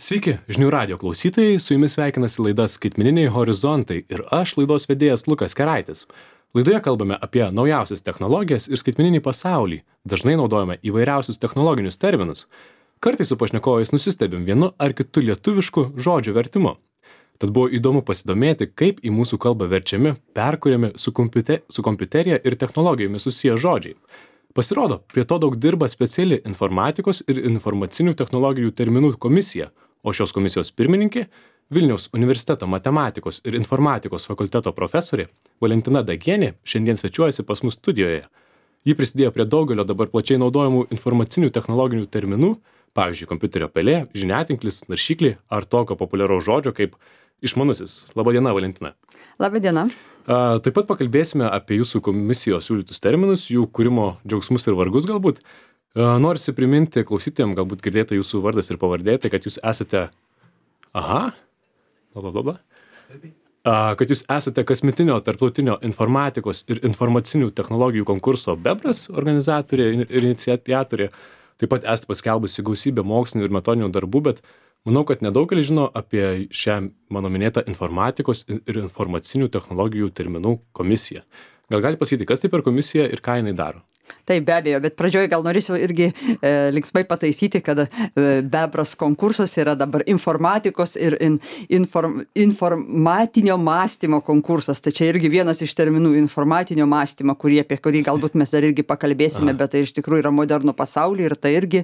Sveiki, žinių radio klausytojai, su jumis sveikinasi laida Skaitmeniniai horizontai ir aš laidos vedėjas Lukas Keraitis. Laidoje kalbame apie naujausias technologijas ir skaitmeninį pasaulį, dažnai naudojame įvairiausius technologinius terminus. Kartais su pašnekovais nusistebim vienu ar kitu lietuvišku žodžių vertimu. Tad buvo įdomu pasidomėti, kaip į mūsų kalbą verčiami, perkuriami su kompiuterija ir technologijomis susiję žodžiai. Pasirodo, prie to daug dirba speciali informatikos ir informacinių technologijų terminų komisija, o šios komisijos pirmininkė Vilniaus universiteto matematikos ir informatikos fakulteto profesorė Valentina Dagienė šiandien svečiuojasi pas mus studijoje. Ji prisidėjo prie daugelio dabar plačiai naudojamų informacinių technologinių terminų, pavyzdžiui, kompiuterio pelė, žiniatinklis, naršyklė ar tokio populiaraus žodžio kaip išmanusis. Labadiena, Valentina. Labadiena. Taip pat pakalbėsime apie jūsų komisijos siūlytus terminus, jų kūrimo džiaugsmus ir vargus galbūt. Norisi priminti klausytėjams, galbūt girdėta jūsų vardas ir pavardė, tai kad jūs esate... Kad jūs esate kasmetinio tarptautinio informatikos ir informacinių technologijų konkurso Bebras organizatorė ir iniciatorė. Taip pat esate paskelbusi gausybę mokslinių ir metodinių darbų, bet manau, kad nedaugelis žino apie šią mano minėtą informatikos ir informacinių technologijų terminų komisiją. Gal gali pasakyti, kas tai per komisiją ir ką jinai daro? Taip, be abejo, bet pradžioje gal norėčiau irgi linksmai pataisyti, kad Bebras konkursas yra dabar informatikos ir informatinio mąstymo konkursas. Tai čia irgi vienas iš terminų informatinio mąstymo, apie kurį galbūt mes dar irgi pakalbėsime, bet tai iš tikrųjų yra modernų pasaulį ir tai irgi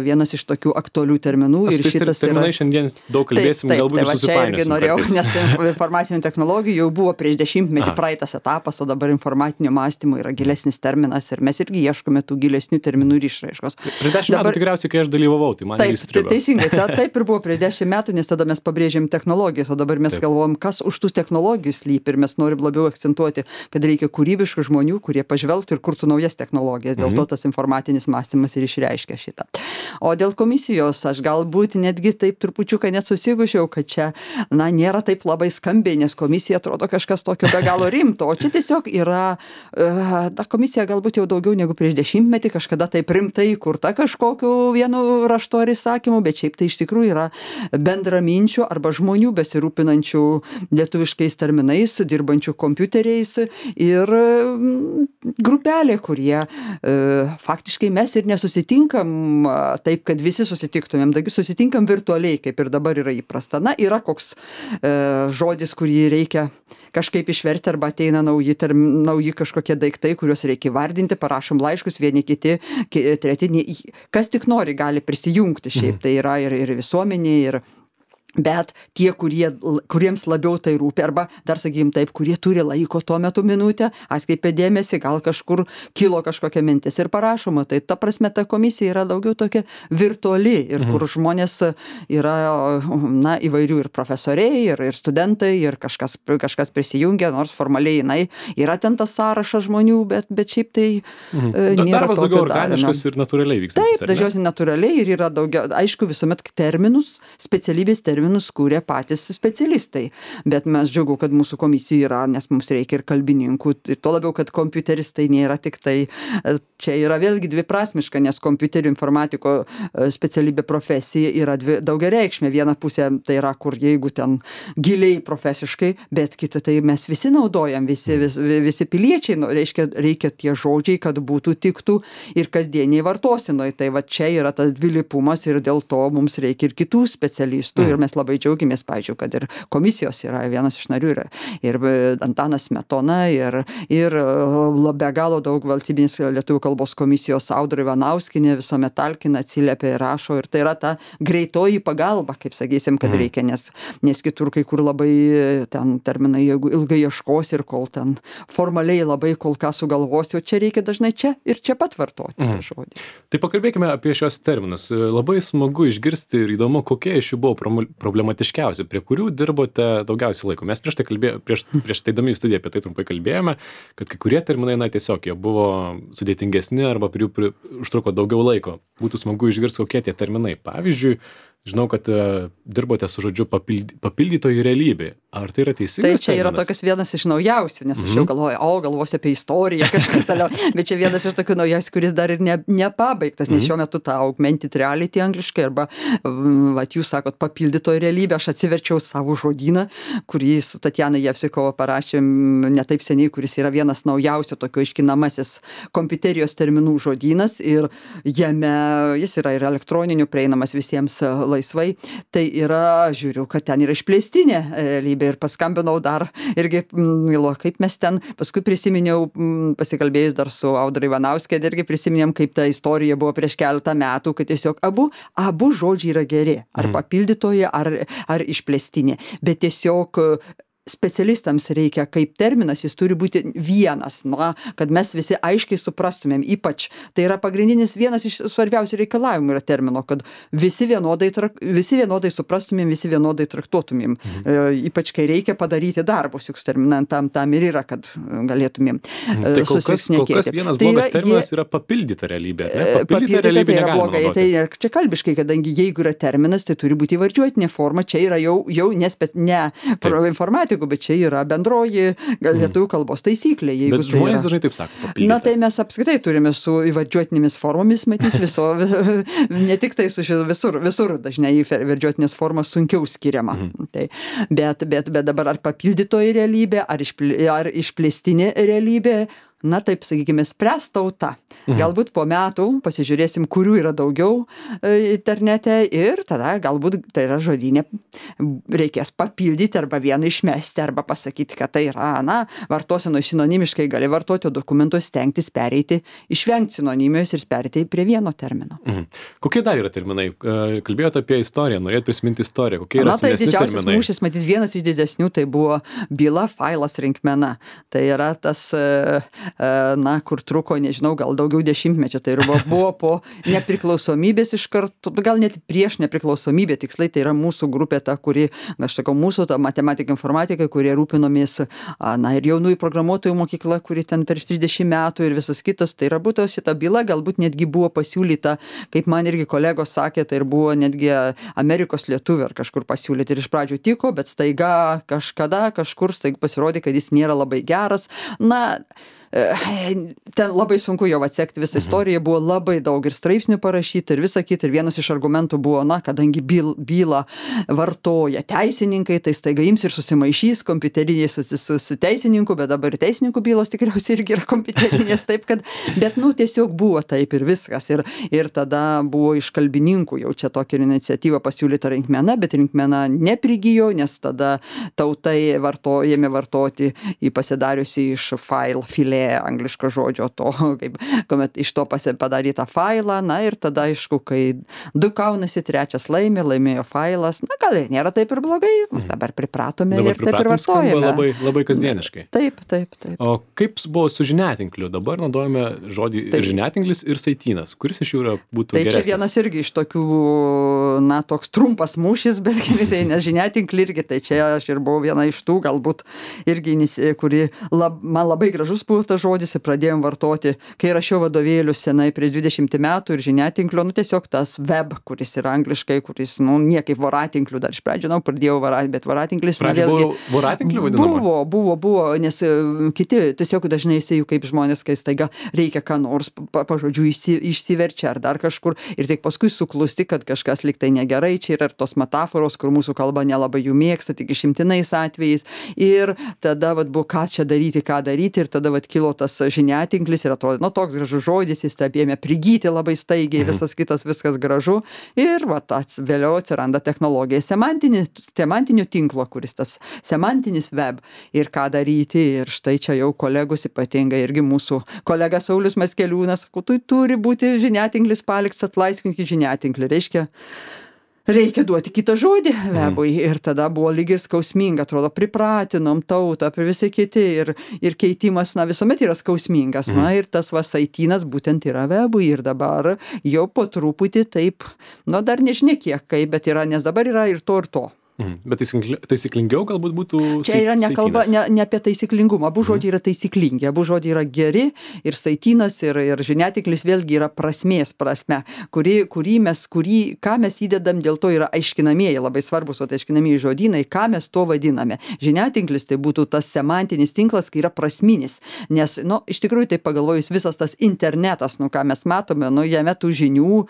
vienas iš tokių aktualių terminų. Ir šitas terminai šiandien daug kalbėsim, galbūt ir susipainiosim. Čia irgi norėjau, nes informacinių technologijų jau buvo prieš 10 metų praeitas etapas, o dabar informatinio mąstymo yra gilesnis terminas. Ir mes irgi ieškome tų gilesnių terminų ir išraiškos. Prieš 10 metų tikriausiai, kai aš dalyvavau, tai man įstrigo. Teisingai, taip ir buvo prieš 10 metų, nes tada mes pabrėžėm technologijas, o dabar mes galvojam, kas už tų technologijų slypi ir mes norim labiau akcentuoti, kad reikia kūrybiškų žmonių, kurie pažvelgtų ir kurtų naujas technologijas. Dėl to tas informatinis mąstymas ir išreiškia šitą. O dėl komisijos aš galbūt netgi taip trupučiuką net susigušiau, kad čia, nėra taip labai skambiai, nes komisija atrodo kažkas tokio be galo rimto, o čia tiesiog yra, ta komisija galbūt jau daugiau negu prieš 10 metį kažkada taip rimtai kurta kažkokiu vienu raštu ar įsakymu, bet šiaip tai iš tikrųjų yra bendraminčių arba žmonių besirūpinančių lietuviškais terminais, dirbančių kompiuteriais ir grupelė, kurie faktiškai mes ir nesusitinkam taip, kad visi susitiktumėm, taigi susitinkam virtualiai, kaip ir dabar yra įprasta. Yra koks žodis, kurį reikia kažkaip išversti arba ateina nauji kažkokie daiktai, kuriuos reikia vardinti, parašom laiškus, vieni kiti, treti, kas tik nori gali prisijungti šiaip, tai yra ir visuomenė, bet tie, kuriems labiau tai rūpi, arba dar sakykim taip, kurie turi laiko tuo metu minutę, atkreipia dėmesį, gal kažkur kilo kažkokia mintis ir parašoma. Tai ta prasme ta komisija yra daugiau tokia virtuali ir kur žmonės yra įvairių ir profesoriai, ir studentai, ir kažkas prisijungia, nors formaliai yra ten tas sąrašas žmonių, bet šiaip tai nėra darbas daugiau organiškas ir natūraliai vyksta. Taip, dažniausiai natūraliai ir yra daugiau, aišku, visuomet specialybės terminus kūrė patys specialistai, bet mes džiugu, kad mūsų komisija yra, nes mums reikia ir kalbininkų, ir to labiau, kad kompiuteris tai nėra tik tai, čia yra vėlgi dviprasmiška, nes kompiuterių informatiko specialybė profesija yra daugiareikšmė. Viena pusė tai yra, kur jeigu ten giliai profesiškai, bet kita tai mes visi naudojam, visi piliečiai, reikia tie žodžiai, kad būtų tiktų ir kasdieniai vartosinoj. Tai va čia yra tas dvilypumas ir dėl to mums reikia ir kitų specialistų ir mes labai džiaugiamės, pavyzdžiui, kad ir komisijos yra vienas iš narių ir Antanas Smetona ir be galo daug valstybinės lietuvių kalbos komisijos Audra Ivanauskienė visuomet talkina, atsiliepia ir rašo ir tai yra ta greitoji pagalba, kaip sakysim, kad reikia, nes kitur kai kur labai ten terminai, jeigu ilgai ieškosi ir kol ten formaliai labai kol ką sugalvosi, o čia reikia dažnai čia ir čia pat vartoti tą žodį. Tai pakalbėkime apie šios terminus. Labai smagu išgirsti ir įdomu, kokie iš jų buvo problematiškiausi, prie kurių dirbote daugiausiai laiko. Mes prieš teidami į studiją apie tai trumpai kalbėjome, kad kai kurie terminai, tiesiog jie buvo sudėtingesni arba prie jų užtruko daugiau laiko. Būtų smagu išgirsti, kokie tie terminai. Pavyzdžiui, žinau, kad dirbote su žodžiu papildytoji realybė. Ar tai yra teisingas Tai čia yra tokias vienas iš naujausių, nes aš jau galvoju, galvosiu apie istoriją kažkur toliau, bet čia vienas iš tokių naujausių, kuris dar ir nepabaigtas, nes šiuo metu ta augmented reality angliškai, arba, jūs sakot, papildytoji realybė, aš atsiverčiau savo žodyną, kurį su Tatjana Jevsikova parašėm ne taip seniai, kuris yra vienas naujausių tokio iškinamasis kompiuterijos terminų žodynas ir jame jis yra ir elektroniniu prieinamas visiems laisvai. Tai yra, žiūriu, kad ten yra išplėstinė realybė ir paskambinau dar irgi, kaip mes ten, paskui prisiminiau, pasikalbėjus dar su Audra Ivanauskė, irgi prisiminėm, kaip ta istorija buvo prieš keletą metų, kad tiesiog abu žodžiai yra geri, ar papildytoji, ar išplėstinė, bet tiesiog specialistams reikia kaip terminas, jis turi būti vienas, kad mes visi aiškiai suprastumėm, ypač tai yra pagrindinis vienas iš svarbiausių reikalavimų yra termino, kad visi vienodai suprastumėm, visi vienodai traktuotumėm, ypač kai reikia padaryti darbus, juk tam ir yra, kad galėtumėm susisnekėti. Kol kas vienas blogas terminas yra papildyta realybė. Papildyta realybė tai yra blogai, tai čia kalbiškai, kadangi jeigu yra terminas, tai turi būti įvardžiuotinė forma, čia yra jau ne informatikų, bet čia yra bendroji lietuvių kalbos taisyklė. Bet žmonės dažnai taip sako, papildyta. Tai mes apskritai turime su įvardžiuotinėmis formomis matyti ne tik tai su visur dažnai įvardžiuotinės formos sunkiau skiriama. Bet dabar ar papildytoji realybė, ar išplėstinė realybė, taip sakykime, spręs tauta. Galbūt po metų pasižiūrėsim, kurių yra daugiau internete ir tada galbūt tai yra žodynė reikės papildyti arba vieną išmesti arba pasakyti, kad tai yra, vartoseno sinonimiškai gali vartoti, o dokumentus stengtis pereiti, išvengti sinonimijos ir pereiti prie vieno termino. Kokie dar yra terminai? Kalbėjote apie istoriją, norėjot prisiminti istoriją. Kokie yra senesni terminai? Tai didžiausias mūšis, matyt, vienas iš didesnių, tai buvo byla, failas, rinkmena. Tai yra tas kur truko, nežinau, gal daugiau dešimtmečio, tai buvo po nepriklausomybės iš karto, gal net prieš nepriklausomybę, tiksliai tai yra mūsų grupė ta, kuri, aš sakau, mūsų ta matematika, informatika, kurie rūpinomės, ir jaunųjų programuotojų mokykla, kuri ten prieš 30 metų ir visas kitas, tai yra būtent šita byla, galbūt netgi buvo pasiūlyta, kaip man irgi kolegos sakė, tai ir buvo netgi Amerikos lietuvių ar kažkur pasiūlyti ir iš pradžių tiko, bet staiga kažkur pasirodė, kad jis nėra labai geras. Ten labai sunku jau atsekti visą istoriją, buvo labai daug ir straipsnių parašyti ir visą kitą, ir vienas iš argumentų buvo, kadangi bylą vartoja teisininkai, tai staiga ims ir susimaišys kompiuteriniai su teisininku, bet dabar teisininkų bylos tikriausiai irgi yra kompiuterinės, taip kad, bet tiesiog buvo taip ir viskas, ir tada buvo iš kalbininkų jau čia tokia iniciatyva pasiūlyta rinkmena, bet rinkmena neprigijo, nes tada tautai ėmė vartoti į pasidariusi iš filė angliško žodžio to, kuomet iš to padarytą failą, ir tada, aišku, kai 2 kaunasi, 3 laimėjo failas, gal ir nėra taip ir blogai, dabar pripratome ir taip ir vartojame. Labai, labai kasdieniškai. Taip. O kaip buvo su žiniatinkliu? Dabar naudojame žodį žiniatinklis ir saitynas. Kuris iš jų būtų geresnis? Tai čia vienas irgi iš tokių, toks trumpas mūšis, bet tai ne žiniatinklį irgi, tai čia aš ir buvau viena iš tų, galbūt irgi, kuri man labai gražus buvo tas žodis ir pradėjom vartoti, kai rašiau vadovėlius senai prieš 20 metų ir žiniatinklio, tiesiog tas web, kuris yra angliškai, kuris, niekaip voratinkliu dar iš pradžių, pradėjau bet voratinklis, vėlgi. Voratinkliu vadinama? Buvo, nes kiti tiesiog dažnai jisai, kaip žmonės, kai staiga reikia ką nors pažodžiu išsiverčia ar dar kažkur ir tik paskui suklusti, kad kažkas liktai negerai, čia yra ir tos metaforos, kur mūsų kalba nelabai jų mėgsta, tik išimtinais atvejais ir tada buvo ką čia daryti ir tada kilo tas žiniatinklis ir atrodo, toks gražus žodis, jis ėmė prigyti labai staigiai, visas kitas, viskas gražu ir vėliau atsiranda technologija semantinio tinklo, kuris tas semantinis web ir ką daryti ir štai čia jau kolegos, ypatingai irgi mūsų kolega Saulius Maskeliūnas, tai turi būti žiniatinklis paliktas, atlaisvinkit žiniatinklį, reikia duoti kitą žodį webui ir tada buvo lyg ir skausminga, atrodo, pripratinom tautą, visi kiti ir keitimas, visuomet yra skausmingas, ir tas saitynas būtent yra webui ir dabar jau po truputį taip, dar nežinia kiek kaip, bet yra, nes dabar yra ir to. Bet taisyklingiau galbūt būtų Čia yra nekalba ne apie taisyklingumą. Abu žodžiai yra taisyklingi, abu žodžiai yra geri ir saitynas, ir žiniatiklis vėlgi yra prasmės prasme, ką mes įdedam, dėl to yra aiškinamieji, labai svarbus aiškinamieji žodynai, ką mes to vadiname. Žiniatinklis tai būtų tas semantinis tinklas, kai yra prasminis, nes, iš tikrųjų, tai pagalvojus, visas tas internetas, ką mes matome, jame tų žinių,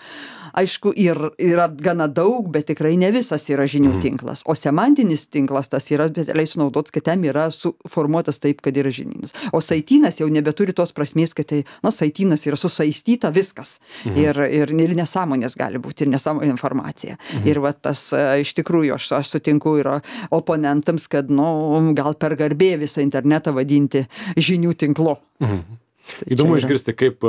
aišku, yra gana daug, bet tikrai ne visas yra žinių tinklas. O semantinis tinklas tas yra specialiai sunaudotas, kad ten yra suformuotas taip, kad yra žinynas. O saitynas jau nebeturi tos prasmės, kad tai, saitynas yra susaistyta viskas. Ir nesąmonės gali būti, ir nesąmonė informacija. Ir va tas, iš tikrųjų, aš sutinku ir oponentams, kad, gal per garbė visą internetą vadinti žinių tinklu. Įdomu išgirsti, kaip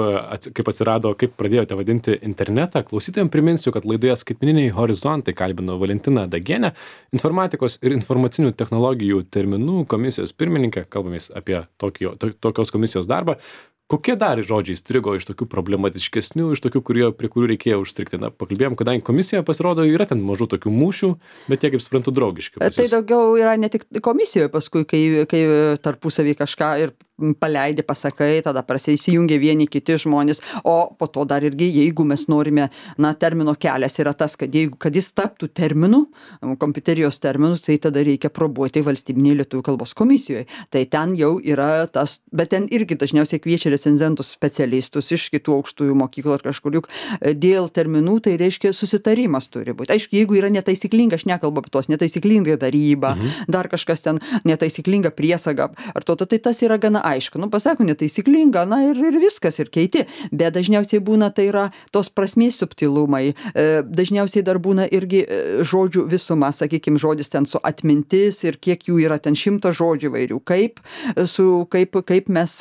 atsirado, kaip pradėjote vadinti internetą. Klausytojams priminsiu, kad laidoje Skaitmeniniai horizontai kalbino Valentiną Dagienę, informatikos ir informacinių technologijų terminų komisijos pirmininkę. Kalbamės apie tokios komisijos darbą. Kokie dar žodžiai strigo iš tokių problematiškesnių, iš tokių, prie kurių reikėjo užstrikti? Pakalbėjom, kadangi komisija pasirodo yra ten mažų tokių mūšių, bet jie, kaip suprantu, draugiški. Tai daugiau yra ne tik komisijoje paskui, kai tarpusavį kažką ir paleidi, pasakai, tada įsijungia vieni kiti žmonės, o po to dar irgi, jeigu mes norime, termino kelias yra tas, kad jis taptų terminu, kompiuterijos terminu, tai tada reikia probuoti valstybinėje lietuvių kalbos komisijoje. Tai ten jau yra tas, bet ten irgi dažniausiai kviečia recenzentus specialistus iš kitų aukštųjų mokyklų ar kažkur, juk dėl terminų, tai reiškia susitarimas turi būti. Aišku, jeigu yra netaisyklinga, aš nekalbu apie tos netaisyklinga daryba, dar kažkas ten netaisyklinga priesaga, tai tas yra gana aišku. Pasako netaisyklinga, ir viskas, ir keiti. Bet dažniausiai būna, tai yra tos prasmės subtilumai. Dažniausiai dar būna irgi žodžių visuma, sakykime, žodis ten su atmintis ir kiek jų yra ten 100 žodžių vairių. Kaip mes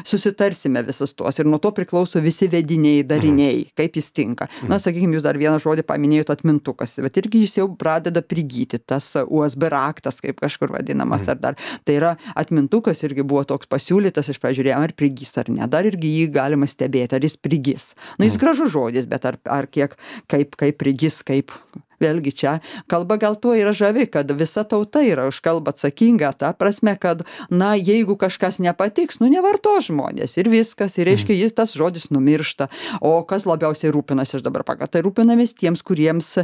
susitarsime visas tuos. Ir nuo to priklauso visi vediniai, dariniai, kaip jis tinka. Sakykime, jūs dar vieną žodį paminėjote atmintukas, bet irgi jis jau pradeda prigyti, tas USB raktas, kaip kažkur vadinamas, ar dar. Tai yra atmintukas irgi buvo toks pasiūlytas, aš pažiūrėjau, ar prigys ar ne. Dar irgi jį galima stebėti, ar jis prigys. Jis gražus žodis, bet ar kiek, kaip prigys, kaip. Vėlgi čia kalba gal tuo yra žavi, kad visa tauta yra už kalbą atsakinga, ta prasme, kad, jeigu kažkas nepatiks, nevarto žmonės ir viskas, ir reiškia, tas žodis numiršta. O kas labiausiai rūpinasi, aš dabar tai rūpinamės tiems, kuriems,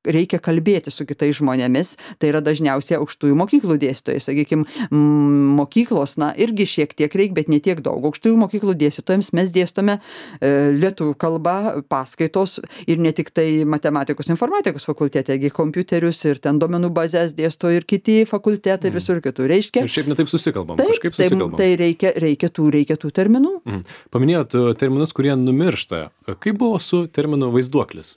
reikia kalbėti su kitais žmonėmis, tai yra dažniausiai aukštųjų mokyklų dėstytojai, sakykime, mokyklos, irgi šiek tiek reikia, bet ne tiek daug. Aukštųjų mokyklų dėstytojams mes dėstome lietuvių kalbą, paskaitos ir ne tik tai matematikos, informatikos fakultete, kompiuterius ir ten duomenų bazės dėsto ir kiti fakultetai ir visur kitur. Reiškia. Ir šiaip netaip susikalbam, kažkaip susikalbam. Tai reikia tų terminų. Paminėjot terminus, kurie numiršta. Kaip buvo su terminu vaizduoklis?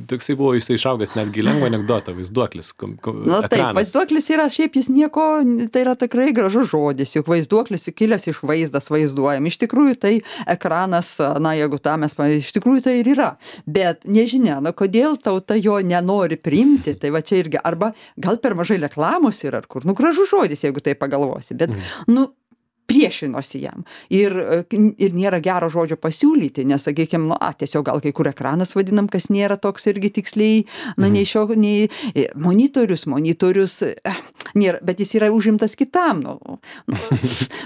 Toksai buvo, jisai išaugęs netgi lengva anekdotą, vaizduoklis. Taip, vaizduoklis yra, šiaip jis nieko, tai yra tikrai gražus žodis, juk vaizduoklis kilęs iš vaizdas vaizduojam. Iš tikrųjų tai ekranas, jeigu tą mes, iš tikrųjų tai ir yra. Bet nežinia, kodėl tauta jo nenori priimti, tai va čia irgi, arba gal per mažai reklamos yra, ar kur, gražus žodis, jeigu tai pagalvosi, bet, priešinosi jam. Ir nėra gero žodžio pasiūlyti, nes, sakykime, tiesiog gal kai kur ekranas vadinam, kas nėra toks irgi tiksliai, nei monitorius, nėra, bet jis yra užimtas kitam,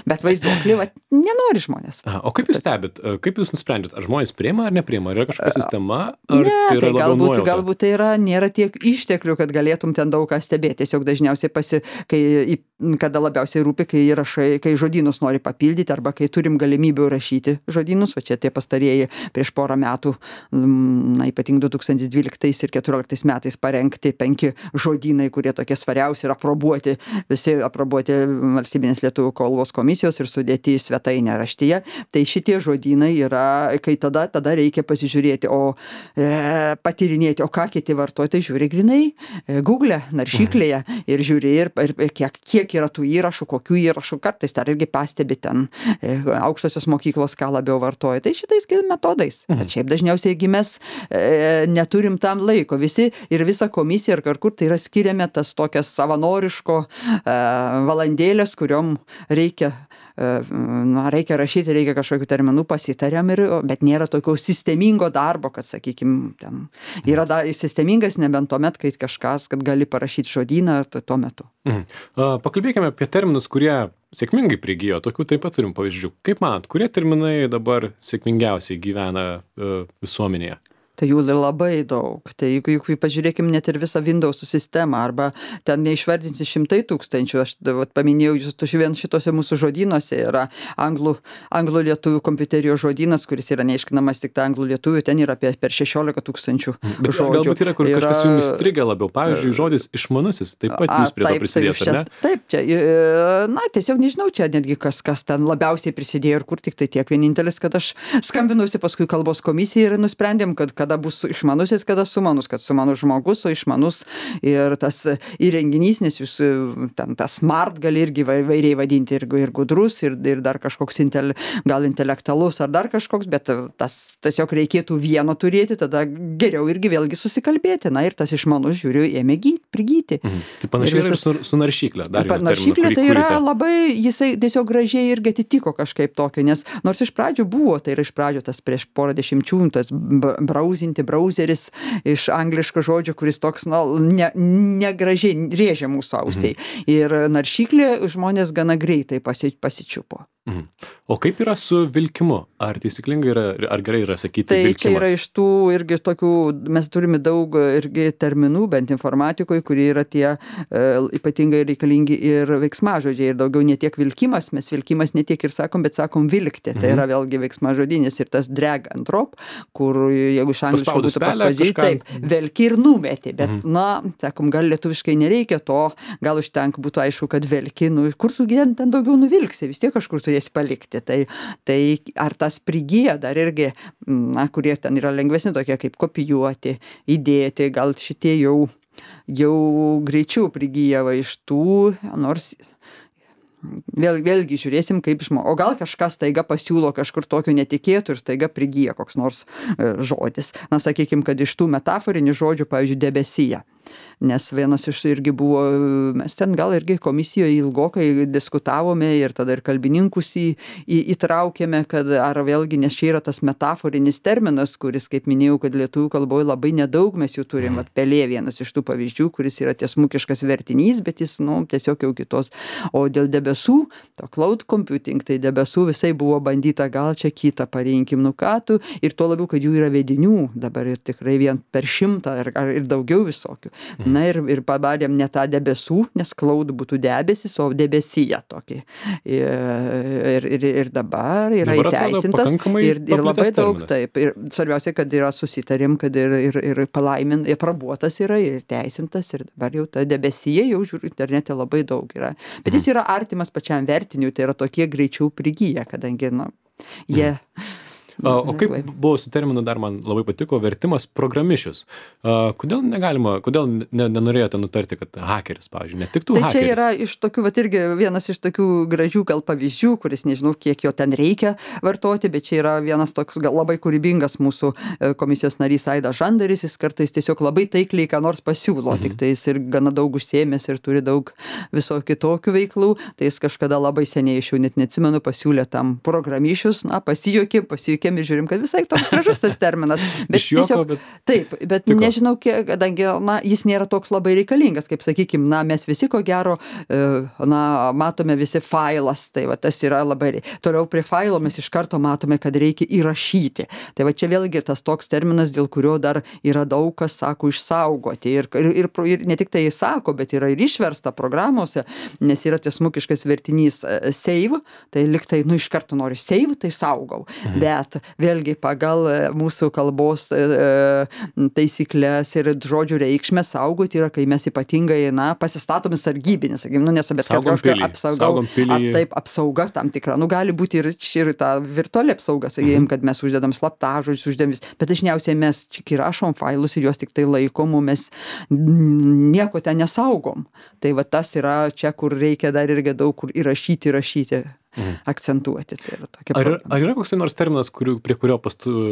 bet vaizduoklį, nenori žmonės. O kaip jūs stebit, kaip jūs nusprendžiat, ar žmonės priima ar nepriima, ar yra kažkokia sistema, ar ne, tai yra labiau nuojauta? Galbūt tai nėra tiek išteklių, kad galėtum ten daug ką stebėti, tiesiog dažniausiai kada labiausiai rūpi, kai žodynus nori papildyti, arba kai turim galimybių rašyti žodynus, va čia tie pastarieji prieš porą metų, ypatingai 2012 ir 2014 metais parengti 5 žodynai, kurie tokie svariausi ir visi aprobuoti valstybinės lietuvių kalbos komisijos ir sudėti į svetainę raštyje. Tai šitie žodynai yra, kai tada reikia pasižiūrėti, patyrinėti, o ką kiti vartoja, tai žiūri grinai Google, naršyklėje ir žiūri ir kiek yra tų įrašų, kokių įrašų, kartais dar irgi pastebi ten aukštosios mokyklos, ką labiau vartoja. Tai šitais metodais. Bet šiaip dažniausiai, jeigu mes neturim tam laiko, visi ir visa komisija ir kur tai yra skiriame tas tokias savanoriškus raštiško valandėlės, kuriom reikia rašyti, reikia kažkokių terminų, pasitariam, bet nėra tokio sistemingo darbo, kad, sakykime, ten yra sistemingas nebent tuomet, kai kažkas, kad gali parašyti žodyną ar tuo metu. Pakalbėkime apie terminus, kurie sėkmingai prigijo, tokių taip pat turim pavyzdžių. Kaip manot, kurie terminai dabar sėkmingiausiai gyvena visuomenėje? Tai jų labai daug. Tai jeigu pažiūrėkim net ir visą Windows sistemą, arba ten neišvardinsi 100 000, aš paminėjau, vien šitose mūsų žodynuose yra anglų lietuvių kompiuterijos žodynas, kuris yra neiškinamas tik anglų lietuvių, ten yra per 16 000 žodžių. Galbūt yra, kur kažkas jums įstrigę labiau, pavyzdžiui, žodis išmanusis, taip pat jūs prie to prisidėjote, ar ne? Taip, čia, tiesiog nežinau, čia netgi kas ten labiausiai prisidėjo ir kur tik tai tiek vienintelis, kad aš skambinusi paskui kalbos komisijai ir nusprendėm, kad kada bus išmanusis, kada sumanus, kad sumanus žmogus, o išmanus ir tas įrenginys, nes jūs ten tas smart gali irgi vairiai vadinti ir gudrus, ir dar kažkoks gal intelektualus ar dar kažkoks, bet tas tiesiog reikėtų vieno turėti, tada geriau irgi vėlgi susikalbėti. Na ir tas išmanus, žiūriu, ėmė prigyti. Tai panašiai ir su naršyklė. Naršyklė tai yra labai, jisai tiesiog gražiai irgi atitiko kažkaip tokio, nes nors iš pradžių buvo, tai yra iš pradžių tas prieš porą dešimčių, tas brauzeris iš angliško žodžio, kuris toks, negražiai rėžia mūsų ausiai. Ir naršyklė žmonės gana greitai pasičiupo. O kaip yra su vilkimu? Ar taisyklingai yra, ar gerai yra sakyti vilkimas? Tai čia yra iš tų irgi tokių, mes turime daug irgi terminų, bent informatikoje, kurie yra tie ypatingai reikalingi ir veiksmažodžiai. Ir daugiau ne tiek vilkimas, mes vilkimas ne tiek ir sakom, bet sakom vilkti. Tai yra vėlgi veiksmažodinis ir tas drag and drop, kur jeigu iš angliško būtų paspaudžiai, taip, velki ir numeti. Bet, sakom, gal lietuviškai nereikia to, gal užtenka būtų aišku, kad velki, kur tu ten daugiau nuvilksi, vis tiek kažkur turėsi palikti. Tai ar tas prigyja dar irgi, kurie ten yra lengvesni tokie kaip kopijuoti, įdėti, gal šitie jau greičiau prigyja iš tų, nors vėlgi žiūrėsim, kaip o gal kažkas staiga pasiūlo kažkur tokio netikėtų ir staiga prigyja koks nors žodis. Sakykim, kad iš tų metaforinių žodžių, pavyzdžiui, debesyje. Nes vienas iš irgi buvo, mes ten gal irgi komisijoje ilgokai diskutavome ir tada ir kalbininkus įtraukėme, kad ar vėlgi, nes čia yra tas metaforinis terminas, kuris, kaip minėjau, kad lietuvių kalboje labai nedaug mes jų turim. Pelė vienas iš tų pavyzdžių, kuris yra tiesmukiškas vertinys, bet jis, tiesiog jau kitos. O dėl debesų, to cloud computing, tai debesų visai buvo bandyta, gal čia kitą parinkim, ir tuo labiau, kad jų yra vedinių, dabar ir tikrai vien per 100 ir daugiau visokių. Na ir padarėm ne tą debesų, nes cloud būtų debesis, o debesyje tokį. Ir dabar yra įteisintas ir labai daug, taip. Ir svarbiausia, kad yra susitarim, kad ir aprobuotas yra, ir teisintas, ir dabar jau ta debesyje, jau žiūriu, internete labai daug yra. Bet jis yra artimas pačiam vertiniui, tai yra tokie greičiau prigyja, kadangi, jie... O kaip buvo su terminu, dar man labai patiko, vertimas programišius. Kodėl nenorėjote nutarti, kad hakeris, pavyzdžiui, ne tik tu hakeris? Tai čia yra iš tokių, irgi vienas iš tokių gražių gal pavyzdžių, kuris nežinau, kiek jo ten reikia vartoti, bet čia yra vienas toks gal labai kūrybingas mūsų komisijos narys Aidas Žandaris, jis kartais tiesiog labai taikliai ką nors pasiūlo, tik tai jis ir gana daug užsiėmęs ir turi daug viso kitokių veiklų, tai jis kažkada labai seniai, aš jau net neatsimenu, pasiūlė tam programišius, pasijuokėm ir žiūrim, kad visai toks gražus tas terminas. Bet tiesiog, taip, bet nežinau, kadangi, jis nėra toks labai reikalingas, kaip sakykim, mes visi ko gero, matome visi failas, tai va tas yra labai, toliau prie failo mes iš karto matome, kad reikia įrašyti. Tai va čia vėlgi tas toks terminas, dėl kurio dar yra daug kas sako išsaugoti. Ir ne tik tai sako, bet yra ir išversta programuose, nes yra tiesmukiškas vertinys save, tai liktai, iš karto nori save, tai saugau. Bet vėlgi pagal mūsų kalbos taisyklės ir žodžių reikšmę saugoti yra, kai mes ypatingai, pasistatomi sargybinį, sakykim, nes bet apsauga tam tikra. Gali būti ir ta virtuali apsauga, sakykim, kad mes uždedam slaptažodžius, uždedam, bet dažniausiai mes čia įrašom failus ir juos tik tai laikom, mes nieko ten nesaugom. Tai va tas yra čia, kur reikia dar irgi daug kur įrašyti. akcentuoti. Tai yra tokia Ar yra koks nors terminas, prie kurio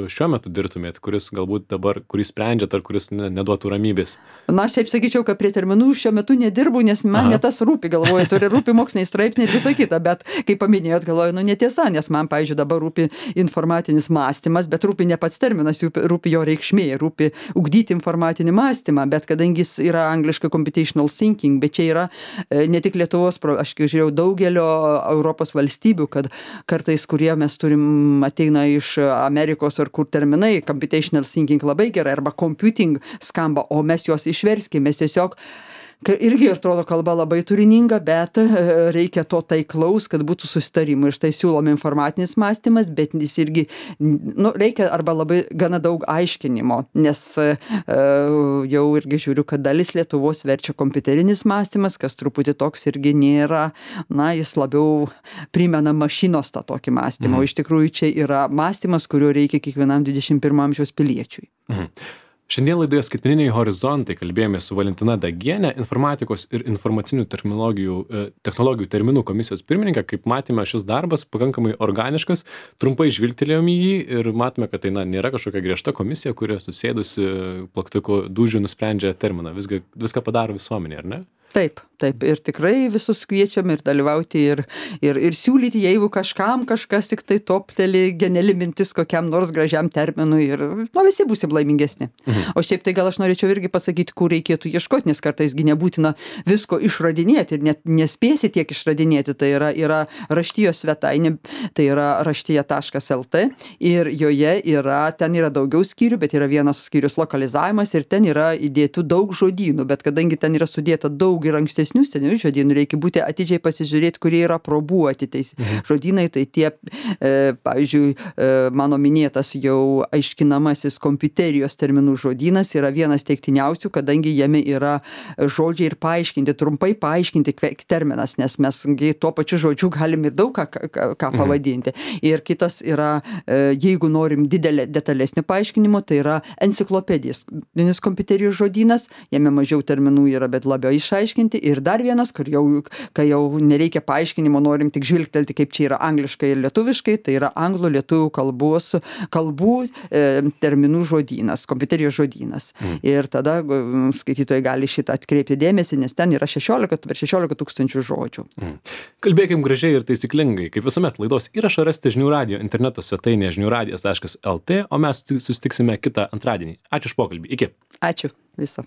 šiuo metu dirbtumėt, kuris galbūt dabar, kurį sprendžiat, ar kuris neduotų ramybės? Na, aš taip sakyčiau, kad prie terminų šiuo metu nedirbu, nes man ne tas rūpi, galvoju, turi rūpi moksliniai straipsniai ir visa kita, bet kaip paminėjot, galvoju, netiesa, nes man, pavyzdžiui, dabar rūpi informatinis mąstymas, bet rūpi ne pats terminas, rūpi jo reikšmė, rūpi ugdyti informatinį mąstymą, bet kadangi jis yra angliškai computational thinking, bet čia yra ne tik Lietuvos, aš žiūrėjau daugelio Europos valstybių, kad kartais, kurie mes turim, ateina iš Amerikos ar kur terminai, computational thinking labai gerai, arba computing skamba, o mes juos išverskime, mes tiesiog irgi atrodo kalba labai turininga, bet reikia to taiklaus, kad būtų susitarimai. Ir štai siūlom informatinis mąstymas, bet jis irgi, reikia arba labai gana daug aiškinimo, nes jau irgi žiūriu, kad dalis Lietuvos verčia kompiuterinis mąstymas, kas truputį toks irgi nėra, jis labiau primena mašinos tą tokį mąstymą. O iš tikrųjų čia yra mąstymas, kurio reikia kiekvienam 21 amžiaus piliečiui. Šiandien laidoje Skaitmeniniai horizontai kalbėjome su Valentina Dagienė, informatikos ir informacinių technologijų terminų komisijos pirmininkė. Kaip matėme, šis darbas pakankamai organiškas, trumpai žvilgtelėjom į jį ir matome, kad tai nėra kažkokia griežta komisija, kuri susėdusi plaktuko dūžių nusprendžia terminą. Viską padaro visuomenė, ar ne? Taip, ir tikrai visus kviečiam ir dalyvauti ir siūlyti, jeigu kažkam kažkas tik tai topteli geniali mintis kokiam nors gražiam terminui ir visi būsim laimingesni. O šiaip tai gal aš norėčiau irgi pasakyti, kur reikėtų ieškoti, nes kartais nebūtina visko išradinėti ir net nespėsi tiek išradinėti. Tai yra raštijos svetainė, tai yra raštija.lt ir joje ten yra daugiau skyrių, bet yra vienas skyrius lokalizavimas ir ten yra įdėtų daug žodynų, bet kadangi ten yra sudėta daug ir ankstesnių senųjų žodynų, reikia būti atidžiai pasižiūrėti, kurie yra probuoti. Tai žodynai, tai tie, pavyzdžiui, mano minėtas jau aiškinamasis kompiuterijos terminų žodynas yra vienas teiktiniausių, kadangi jame yra žodžiai ir paaiškinti, trumpai paaiškinti terminas, nes mes tuo pačiu žodžiu galim ir daug ką pavadinti. Ir kitas yra, jeigu norim detalesnio paaiškinimo, tai yra enciklopedijos kompiuterijos žodynas, jame mažiau terminų yra, bet labiau išaiškinti. Ir dar vienas, kai jau nereikia paaiškinimo, norim tik žvilgtelti, kaip čia yra angliškai ir lietuviškai, tai yra anglų lietuvių kalbų terminų žodynas, kompiuterijos žodynas. Ir tada skaitytojai gali šitą atkreipti dėmesį, nes ten yra 16 tūkstančių žodžių. Kalbėkim gražiai ir taisyklingai. Kaip visuomet, laidos įrašą rasite žinių radijo interneto svetainėje žiniųradijas.lt, o mes susitiksime kitą antradienį. Ačiū už pokalbį. Iki. Ačiū. Viso.